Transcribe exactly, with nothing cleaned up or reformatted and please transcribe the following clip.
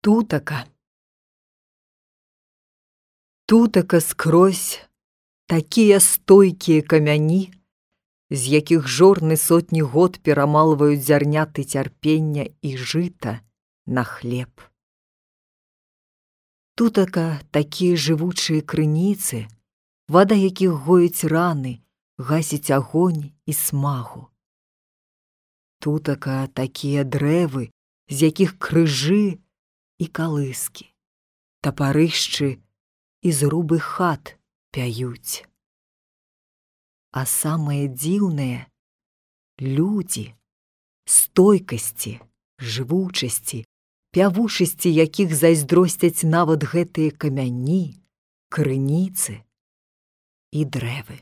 Тутака. Тутака скрозь такія стойкія камяні, з якіх жорны сотні год перамалваюць зярняты цярпення і жыта на хлеб. Тутака такія жывучыя крыніцы, вада якіх гоіць раны, гасіць агонь і смагу. Тутака такія дрэвы, з якіх крыжы і калыскі, тапарышчы і зрубы хат пяюць. А самае дзіўнае — людзі, стойкасці, жывучасці, пявушасці якіх зайздросцяць нават гэтыя камяні, крыніцы і дрэвы.